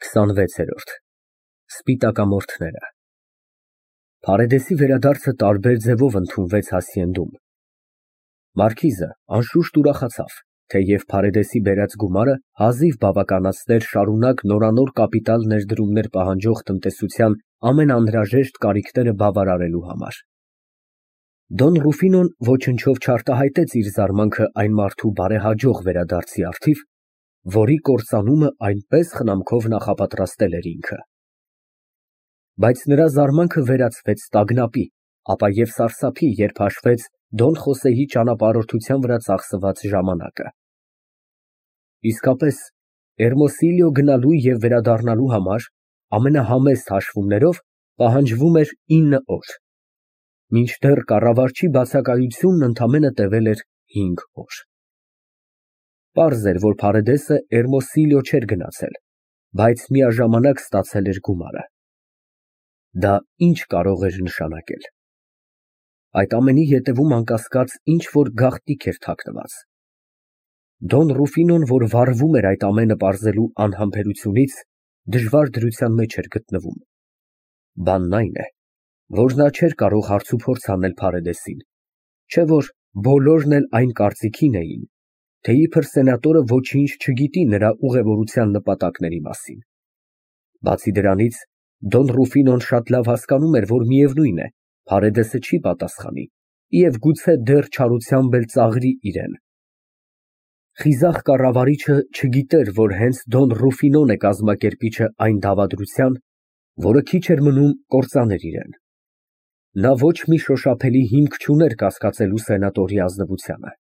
26-րդ Սպիտակամորթները Փարեդեսի վերադարձը տարբեր ձևով ընդունվեց հասցենդում։ Մարքիզը անշուշտ ուրախացավ, թեև Փարեդեսի բերած գումարը հազիվ բավականացներ շարունակ նորանոր կապիտալ ներդրումներ պահանջող տնտեսության ամենաանհրաժեշտ կարիքները բավարարելու համար։ Դոն Ռուֆինոն ոչնչով չարտահայտեց իր զարմանքը այն մարդու բարեհաջող վերադարձի առթիվ, որի կործանումը այնպես խնամքով նախապատրաստել էր ինքը։ Բայց նրա զարմանքը վերածվեց տագնապի, ապա և սարսափի, երբ հաշվեց Դոն Խոսեի ճանապարհորդության վրա ծախսված ժամանակը։ Իսկապես, Էրմոսիլիո գնալու և վերադառնալու համար ամենահամեստ հաշվումներով պահանջվում էր 9 օր, մինչդեռ կառավարչի բացակայությունն ընդամենը տևել էր 5 օր։ Պարզ էր, որ Փարեդեսը Էրմոսիլիո չէր գնացել, բայց միաժամանակ ստացել էր գումարը։ Դա ինչ կարող էր նշանակել։ Այդ ամենի ետևում անկասկած ինչ-որ գաղտնիք էր թաքնված։ Դոն Ռուֆինոն, որ վարվում էր այդ ամենը պարզելու անհամբերությունից, դժվար դրության մեջ էր գտնվում։ Բանն այն է, որ նա չէր կարող հարցուփորձ անել Փարեդեսին, չէ որ բոլորն էլ այն կարծիքին էին, թե իբր սենատորը ոչինչ չգիտի նրա ուղևորության նպատակների մասին։ Բացի դրանից, Դոն Ռուֆինոն շատ լավ հասկանում էր, որ միևնույն է, Փարեդեսը չի պատասխանի և գուցե դեռ չարությամբ էլ ծաղրի իրան։ Խիզախ կառավարիչը չգիտեր, որ հենց Դոն Ռուֆինոն է կազմակերպիչը այն դավադրության, որը քիչ էր մնում կործաներ իրան։ Նա ոչ մի շոշափելի հիմք չուներ կասկածելու սենատորի ազնվությանը։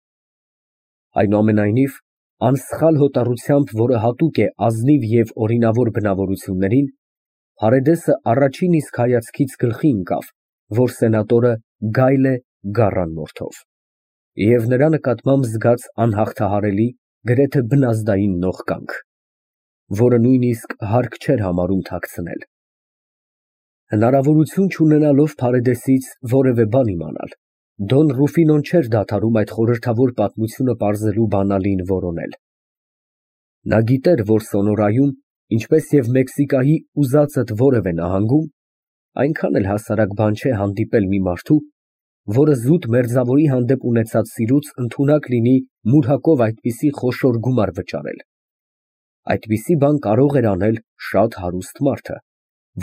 Այնուամենայնիվ, անսխալ հոտառությամբ, որը հատուկ է ազնիվ և օրինավոր բնավորություններին, Փարեդեսը առաջին իսկ հայացքից գլխի ընկավ, որ սենատորը գայլ է գառան մորթով և նրա նկատմամբ զգաց անհաղթահարելի, գրեթե բնազդային նողկանք, որը նույնիսկ հարկ չէր համարում թաքցնել։ Հնարավորություն չունենալով Փարեդեսից որևէ բան իմանալ, Դոն Ռուֆինոն չէր դադարում այդ խորհրդավոր պատմությունը պարզելու բանալին որոնել։ Նա գիտեր, որ Սոնորայում, ինչպես և Մեքսիկայի ուզածդ որևէ նահանգում, այնքան էլ հասարակ բան չէ հանդիպել մի մարդու, որը զուտ մերձավորի հանդեպ ունեցած սիրուց ընդունակ լինի մուրհակով այդպիսի խոշոր գումար վճարել։ Այդպիսի բան կարող էր անել շատ հարուստ մարդը,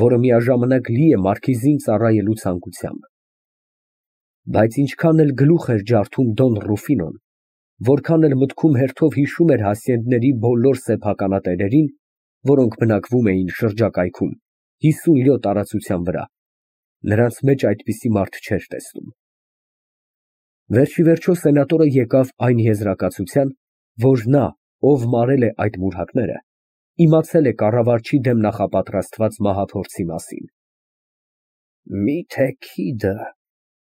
որը միաժամանակ լի է մարքիզին ծառայելու ցանկությամբ։ Բայց ինչքան էլ գլուխ էր ջարդում Դոն Ռուֆինոն, որքան էլ մտքում հերթով հիշում էր հասցենդների բոլոր սեփականատերերին, որոնք բնակվում էին շրջակայքում 50 լյո տարածության վրա, նրանց մեջ այդպիսի մարդ չէր տեսնում։ Վերջիվերջո սենատորը եկավ այն եզրակացության, որ նա, ով մարել է այդ մուրհակները, իմացել է կառավարչի դեմ նախապատրաստված մահափորձի մասին։ Միթե քիդը,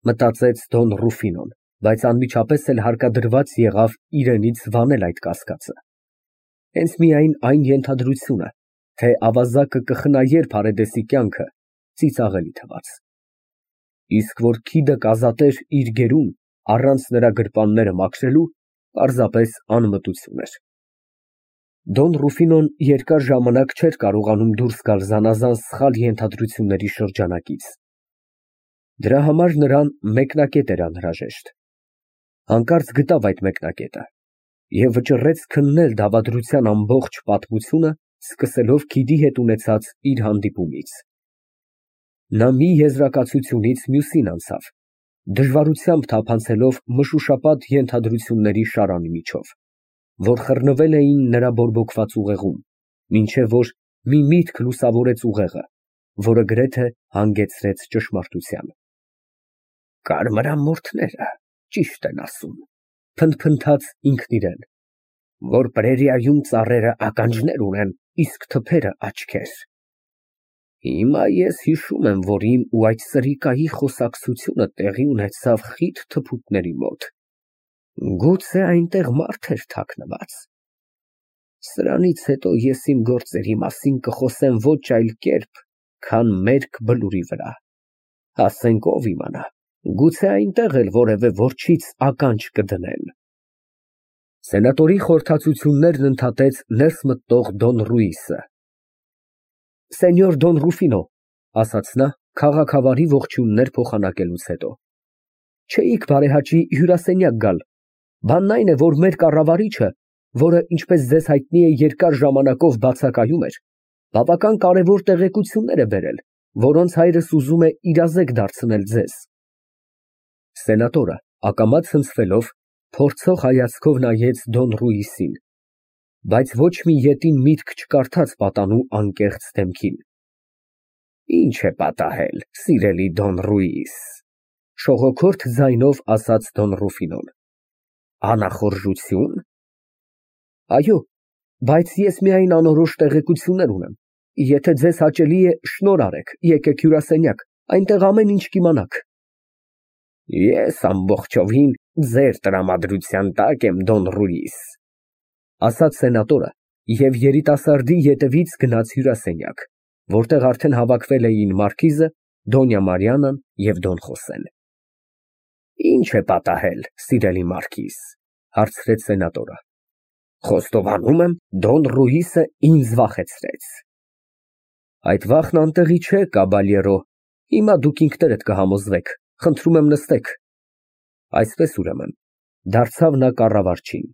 մտածեց Դոն Ռուֆինոն, բայց անմիջապես էլ հարկադրված եղավ իրենից վանել այդ կասկածը։ Հենց միայն այն ենթադրությունը, թե ավազակը կխնայեր Փարեդեսի կյանքը, ծիծաղելի թվաց։ Իսկ որ քիդը կազատեր իր գերուն, առանց նրա գրպանները մաքրելու, պարզապես անմտություն էր։ Դոն Ռուֆինոն երկար ժամանակ չէր կարողանում դուրս գալ զանազան սխալ ենթադրությունների շրջանակից։ Դրա համար նրան մեկնակետ էր անհրաժեշտ։ Հանկարծ գտավ այդ մեկնակետը և վճռեց քննել դավադրության ամբողջ պատմությունը, սկսելով քիդի հետ ունեցած իր հանդիպումից։ Նա մի եզրակացությունից մյուսին անցավ, դժվարությամբ թափանցելով մշուշապատ ենթադրությունների շարանի միջով, որ խռնվել էին նրա բորբոքված ուղեղում, մինչև որ մի միտք լուսավորեց ուղեղը, որը գրեթե հանգեցրեց ճշմարտության։ Կարմրամորթները ճիշտ են ասում, փնթփնթաց ինքն իրան, որ պրերիայում ծառերը ականջներ ունեն, իսկ թփերը աչքեր։ Հիմա ես հիշում եմ, որ իմ ու այդ սրիկայի խոսակցությունը տեղի ունեցավ խիտ թփուտների մոտ։ Գուցե այնտեղ մարդ էր թաքնված։ Սրանից հետո ես իմ գործերի մասին կխոսեմ ոչ այլ կերպ, քան մերկ բլուրի վրա։ Ասենք ով իմանա, գուցե այնտեղ էլ որևէ որջից ականջ կդնեն։ Սենատորի խորհրդածություններն ընդհատեց ներս մտնող Դոն Ռուիսը։ Սենյոր Դոն Ռուֆինո, ասաց նա, քաղաքավարի ողջույններ փոխանակելուց հետո։ Չէիք բարեհաճի հյուրասենյակ գալ։ Բանն այն է, որ մեր կառավարիչը, որը, ինչպես ձեզ հայտնի է, երկար ժամանակով բացակայում էր, բավական կարևոր տեղեկություններ է բերել, որոնց հայրս ուզում է իրազեկ դարձնել ձեզ։ Սենատորը, ակամա ցնցվելով, փորձող հայացքով նայեց Դոն Ռուիսին, բայց ոչ մի ետին միտք չկարդաց պատանու անկեղծ դեմքին։ Ինչ է պատահել, սիրելի Դոն Ռուիս, շողոքորթ ձայնով ասաց Դոն Ռուֆինոն։ Անախորժություն։ Այո, բայց ես միայն անորոշ տեղեկություններ ունեմ։ Եթե ձեզ հաճելի է, շնորհ արեք, եկեք հյուրասենյակ, այնտեղ ամեն ինչ կիմանաք։ Ես ամբողջովին ձեր տրամադրության տակ եմ, Դոն Ռուիս, ասաց սենատորը և երիտասարդի ետևից գնաց հյուրասենյակ, որտեղ արդեն հավաքվել էին մարքիզը, Դոնյա Մարիանան և Դոն Խոսեն։ Ինչ է պատահել, սիրելի մարքիզ, հարցրեց սենատորը։ Խոստովանում եմ, Դոն Ռուիսը ինձ վախեցրեց։ Այդ վախն անտեղի չէ, կաբալյերո, հիմա դուք ինքներդ կհամոզվեք, խնդրում եմ նստեք։ Այսպես ուրեմն, դարձավ նա կառավարչին։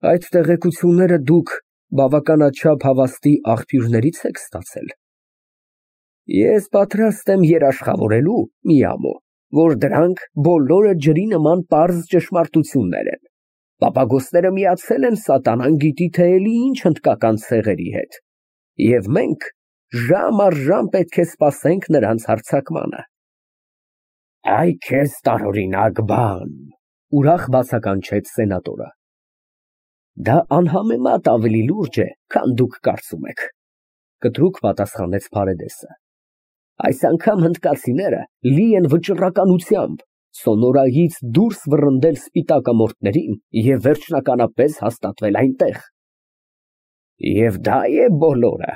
Այդ տեղեկությունները դուք բավականաչափ հավաստի աղբյուրներից եք ստացել։ Ես պատրաստ եմ երաշխավորելու, մի ամո, որ դրանք բոլորը ջրի նման պարզ ճշմարտություններ են։ Պապագոսները միացել են սատանան գիտի թե էլի ինչ հնդկական ցեղերի հետ, և մենք ժամ առ ժամ պետք է սպասենք նրանց հարձակմանը։ Այ քեզ տարօրինակ բան, ուրախ բացականչեց սենատորը։ Դա անհամեմատ ավելի լուրջ է, քան դուք կարծում եք, կտրուկ պատասխանեց Փարեդեսը։ Այս անգամ հնդկացիները լի են վճռականությամբ Սոնորայից դուրս վռնդել սպիտակամորթներին և վերջնականապես հաստատվել այնտեղ։ Եվ դա է բոլորը,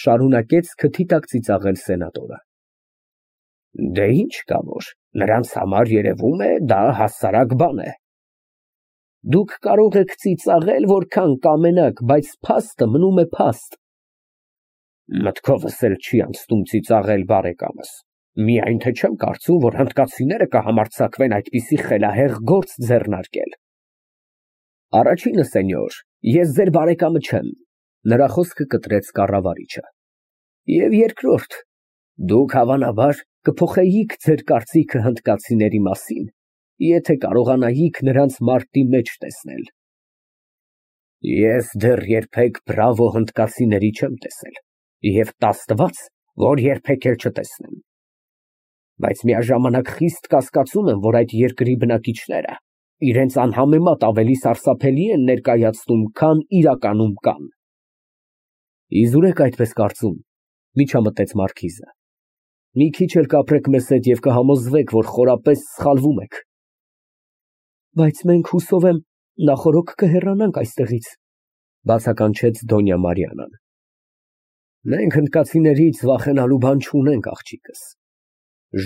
շարունակեց քթի տակ ծիծաղել սենատորը։ Դե ինչ կա որ, նրանց համար երևում է դա հասարակ բան է։ Դուք կարող եք ծիծաղել որքան կամենաք, բայց փաստը մնում է փաստ։ Մտքովս էլ չի անցնում ծիծաղել, բարեկամս, միայն թե չեմ կարծում, որ հնդկացիները կհամարձակվեն այդպիսի խելահեղ գործ ձեռնարկել։ Առաջինը, սենյոր, ես ձեր բարեկամը չեմ, նրա խոսքը կտրեց կառավարիչը։ Եվ երկրորդ, դուք հավանաբար կփոխեիք ձեր կարծիքը հնդկացիների մասին, եթե կարողանայիք նրանց մարտի մեջ տեսնել։ Ես դեռ երբեք բրավո հնդկացիների չեմ տեսել, և տաստված, որ երբեք էլ չտեսնեմ։ Բայց միաժամանակ խիստ կասկածում եմ, որ այդ երկրի բնակիչները իրենց անհամեմատ ավելի սարսափելի են ներկայացնում, քան իրականում կան։ Իզուր եք այդպես կարծում, միջամտեց մարքիզը։ Մի քիչ էլ կապրեք մեզ հետ և կհամոզվեք, որ խորապես սխալվում եք։ Բայց մենք, հուսով եմ, նախօրոք կհեռանանք այստեղից, բացականչեց Դոնյա Մարիանան։ Մենք հնդկացիներից վախենալու բան չունենք, աղջիկս։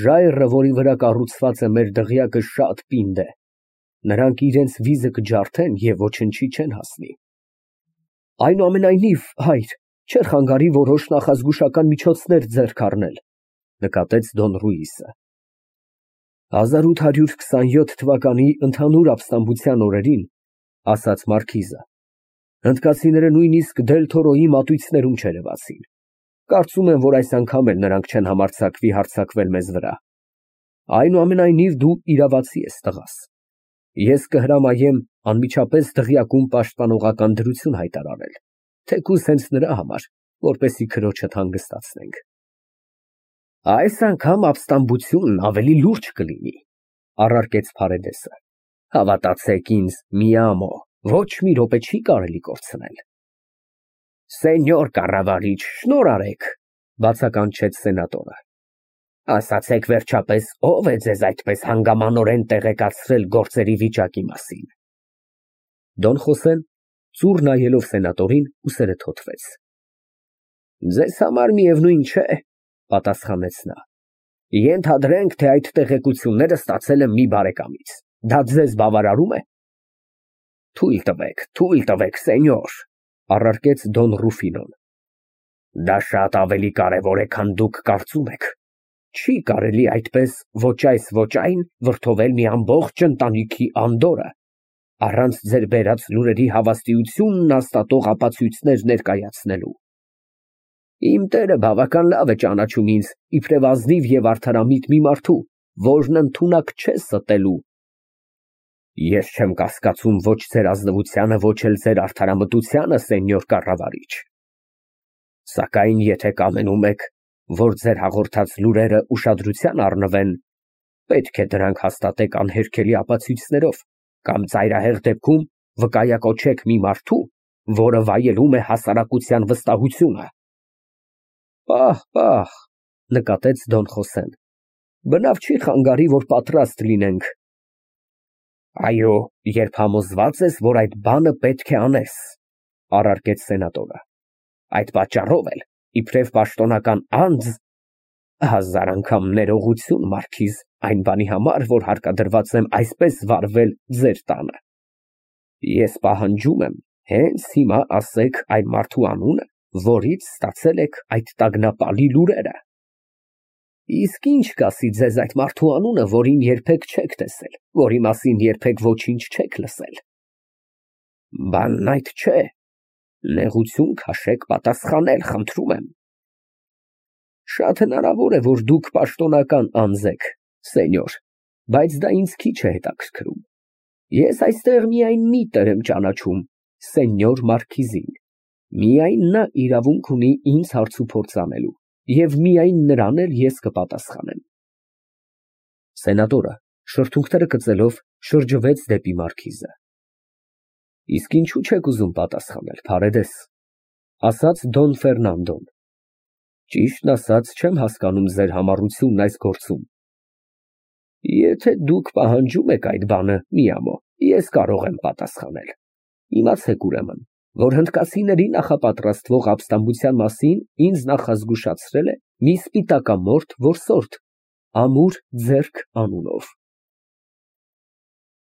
Ժայռը, որի վրա կառուցված է մեր դղյակը, շատ պինդ է։ Նրանք իրենց վիզը կջարդեն և ոչնչի չեն հասնի։ Այնուամենայնիվ, հայր, չէր խանգարի որոշ նախազգուշական միջոցներ ձեռք առնել, նկատեց Դոն Ռուիսը։ 1827 թվականի ընդհանուր ապստամբության օրերին, ասաց մարքիզը, հնդկացիները նույնիսկ Դել-Թորոյի մատույցներում չերևացին։ Կարծում եմ, որ այս անգամ էլ նրանք չեն համարձակվի հարձակվել մեզ վրա։ Այնուամենայնիվ դու իրավացի ես, տղաս։ Ես կհրամայեմ անմիջապես դղյակում պաշտպանողական դրություն հայտարարել, թեկուզ հենց նրա համար, որպեսզի քրոջդ հանգստացնենք։ Այս անգամ ապստամբությունն ավելի լուրջ կլինի, առարկեց Փարեդեսը։ Հավատացեք ինձ, մի ամո, ոչ մի րոպե չի կարելի կորցնել։ Սենյոր կառավարիչ, շնորհ արեք, բացականչեց սենատորը։ Ասացեք վերջապես, ով է ձեզ այդպես հանգամանորեն տեղեկացրել գործերի վիճակի մասին։ Դոն Խոսեն, ծուռ նայելով սենատորին, ուսերը թոթվեց։ Ձեզ համար միևնույն չէ, պատասխանեց նա։ Ենթադրենք, թե այդ տեղեկությունները ստացել եմ մի բարեկամից։ Դա ձեզ բավարարում է։ Թույլ տվեք, սենյոր, առարկեց Դոն Ռուֆինոն։ Դա շատ ավելի կարևոր է, քան դուք կարծում եք։ Չի կարելի այդպես ոչ այս, ոչ այն վրդովել մի ամբողջ ընտանիքի անդորրը, առանց ձեր բերած լուրերի հավաստիությունն հաստատող ապացույցներ ներկայացնելու։ Իմ տերը բավական լավ է ճանաչում ինձ իբրև ազնիվ և արդարամիտ մի մարդու, որն ընդունակ չէ ստելու։ Ես չեմ կասկածում ոչ ձեր ազնվությանը, ոչ էլ ձեր արդարամտությանը, սենյոր կառավարիչ։ Սակայն եթե կամենում եք, որ ձեր հաղորդած լուրերը ուշադրության առնվեն, պետք է դրանք հաստատեք անհերքելի ապացույցներով, կամ ծայրահեղ դեպքում վկայակոչեք մի մարդու, որը վայելում է հասարակության վստահությունը։ Պահ, նկատեց Դոն Խոսեն, բնավ չի խանգարի, որ պատրաստ լինենք։ Այո, երբ համոզված ես, որ այդ բանը պետք է անես, առարկեց սենատորը, այդ պատճառով էլ, իբրև պաշտոնական անձ, հազար անգամ ներողություն, մարքիզ, այն բանի համար, որ հարկադրված եմ այսպես վարվել ձեր տանը։ Ես պահանջում եմ, հենց հիմա ասեք այն մարդու անունը, որից ստացել եք այդ տագնապալի լուրերը։ Իսկ ինչ կասի ձեզ այդ մարդու անունը, որին երբեք չեք տեսել, որի մասին երբեք ոչինչ չեք լսել։ Բանն այդ չէ, նեղություն քաշեք պատասխանել, խնդրում եմ։ Շատ հնարավոր է, որ դուք պաշտոնական անձ եք, սենյոր, բայց դա ինձ քիչ է հետաքրքրում։ Ես այստեղ միայն մի տեր եմ ճանաչում, սենյոր մարքիզին։ Միայն նա իրավունք ունի ինձ հարցուփորձ անելու, և միայն նրան էլ ես կպատասխանեմ։ Սենատորը, շրթունքները կծելով, շրջվեց դեպի մարքիզը։ Իսկ ինչու չեք ուզում պատասխանել, Փարեդես, ասաց Դոն Ֆերնանդոն։ Ճիշտն ասած, չեմ հասկանում ձեր համառությունն այս գործում։ Եթե դուք պահանջում եք այդ բանը, մի ամո, ես կարող եմ պատասխանել։ Իմացեք ուրեմն, որ հնդկացիների նախապատրաստվող ապստամբության մասին ինձ նախազգուշացրել է մի սպիտակամորթ որսորդ, Ամուր ձեռք անունով։